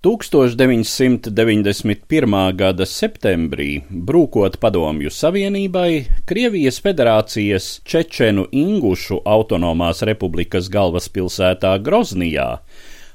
1991. gada septembrī, brūkot Padomju Savienībai, Krievijas Federācijas Čečenu Ingušu autonomās republikas galvaspilsētā Groznijā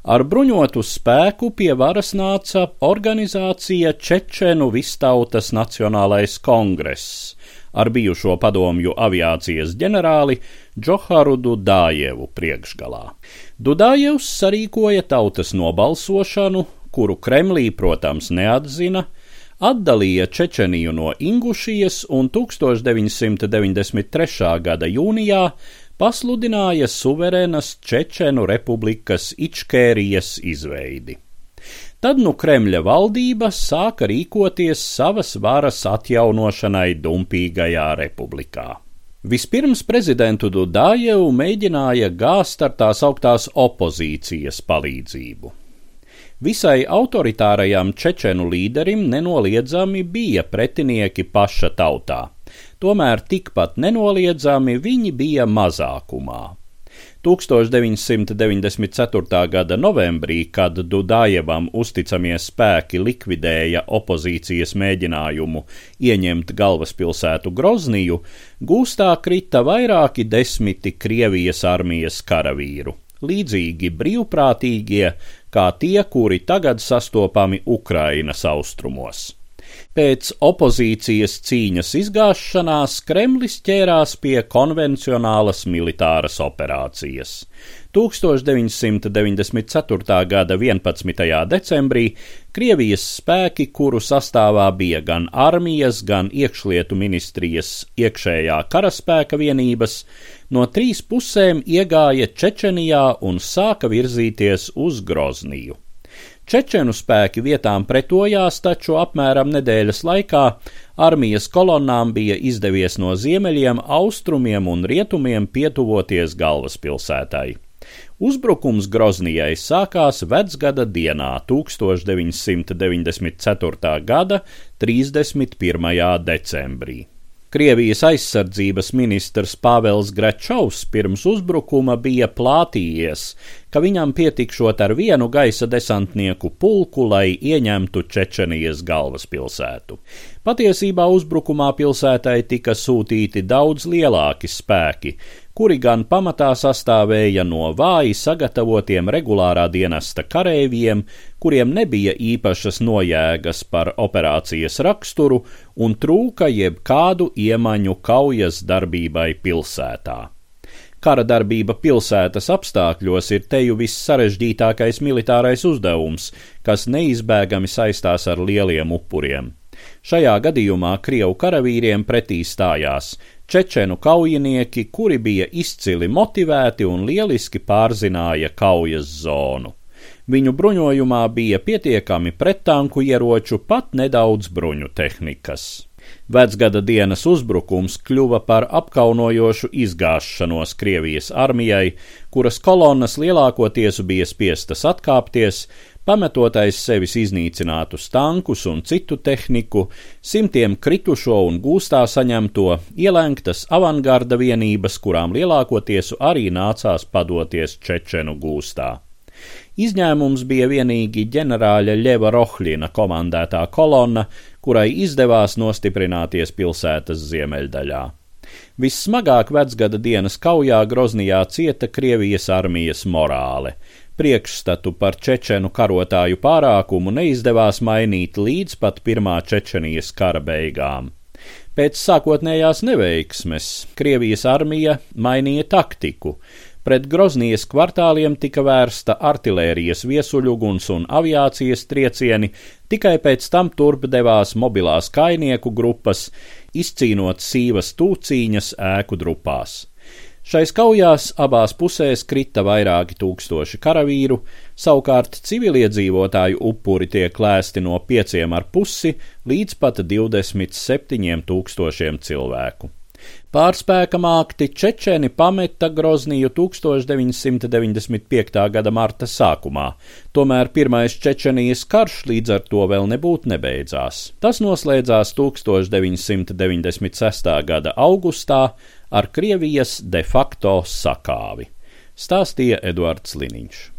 ar bruņotu spēku pie varas nāca organizācija Čečenu Vistautas Nacionālais kongress ar bijušo padomju aviācijas ģenerāli Džoharu Dudajevu priekšgalā. Dudajevs sarīkoja tautas nobalsošanu, kuru Kremlī, protams, neatzina, atdalīja Čečeniju no Ingušijas un 1993. gada jūnijā pasludināja suverēnas Čečenu republikas Ičkērijas izveidi. Tad Kremļa valdība sāka rīkoties savas varas atjaunošanai dumpīgajā republikā. Vispirms prezidentu Dudajevu mēģināja gāzt ar tās augtās opozīcijas palīdzību. Visai autoritārajam Čečenu līderim nenoliedzami bija pretinieki paša tautā, tomēr tikpat nenoliedzami viņi bija mazākumā. 1994. gada novembrī, kad Dudajevam uzticamie spēki likvidēja opozīcijas mēģinājumu ieņemt galvaspilsētu Grozniju, gūstā krita vairāki desmiti Krievijas armijas karavīru, līdzīgi brīvprātīgie, kā tie, kuri tagad sastopami Ukrainas austrumos. Pēc opozīcijas cīņas izgāšanās Kremlis ķērās pie konvencionālas militāras operācijas. 1994. gada 11. decembrī Krievijas spēki, kuru sastāvā bija gan armijas, gan iekšlietu ministrijas iekšējā karaspēka vienības, no 3 pusēm iegāja Čečenijā un sāka virzīties uz Grozniju. Čečenu spēki vietām pretojās, taču apmēram nedēļas laikā armijas kolonnām bija izdevies no ziemeļiem, austrumiem un rietumiem pietuvoties galvaspilsētai. Uzbrukums Groznijai sākās vecgada dienā 1994. gada 31. decembrī. Krievijas aizsardzības ministrs Pāvels Gračovs pirms uzbrukuma bija plātījies, ka viņam pietikšot ar vienu gaisa desantnieku pulku, lai ieņemtu Čečenijas galvaspilsētu. Patiesībā uzbrukumā pilsētai tika sūtīti daudz lielāki spēki, kuri gan pamatā sastāvēja no vāji sagatavotiem regulārā dienesta kareiviem, kuriem nebija īpašas nojēgas par operācijas raksturu un trūka jebkādu iemaņu kaujas darbībai pilsētā. Kara darbība pilsētas apstākļos ir teju vissarežģītākais militārais uzdevums, kas neizbēgami saistās ar lieliem upuriem. Šajā gadījumā Krievu karavīriem pretī stājās Čečenu kaujinieki, kuri bija izcili motivēti un lieliski pārzināja kaujas zonu. Viņu bruņojumā bija pietiekami prettanku ieroču, pat nedaudz bruņu tehnikas. Vecgada dienas uzbrukums kļuva par apkaunojošu izgāšanos Krievijas armijai, kuras kolonnas lielākoties bija spiestas atkāpties, pametot aiz sevis iznīcinātus tankus un citu tehniku, simtiem kritušo un gūstā saņemto, ielenktas avangarda vienības, kurām lielākoties arī nācās padoties Čečenu gūstā. Izņēmums bija vienīgi ģenerāļa Ļeva Rohļina komandētā kolonna, kurai izdevās nostiprināties pilsētas ziemeļdaļā. Vissmagāk vecgada dienas kaujā Groznijā cieta Krievijas armijas morāle. Priekšstatu par čečenu karotāju pārākumu neizdevās mainīt līdz pat pirmā Čečenijas kara beigām. Pēc sākotnējās neveiksmes Krievijas armija mainīja taktiku. Pret Groznijas kvartāliem tika vērsta artilērijas viesuļuguns un aviācijas triecieni, tikai pēc tam turp devās mobilās kainieku grupas, izcīnot sīvas tūcīņas ēku drupās. Šais kaujās abās pusēs krita vairāki tūkstoši karavīru, savukārt civiliedzīvotāju upuri tiek lēsti no 5,5 līdz pat 27,000 cilvēku. Pārspēka mākti čečeni pameta Grozniju 1995. gada marta sākumā, tomēr pirmais Čečenijas karš līdz ar to vēl nebūtu nebeidzās. Tas noslēdzās 1996. gada augustā ar Krievijas de facto sakāvi, stāstīja Eduards Liniņš.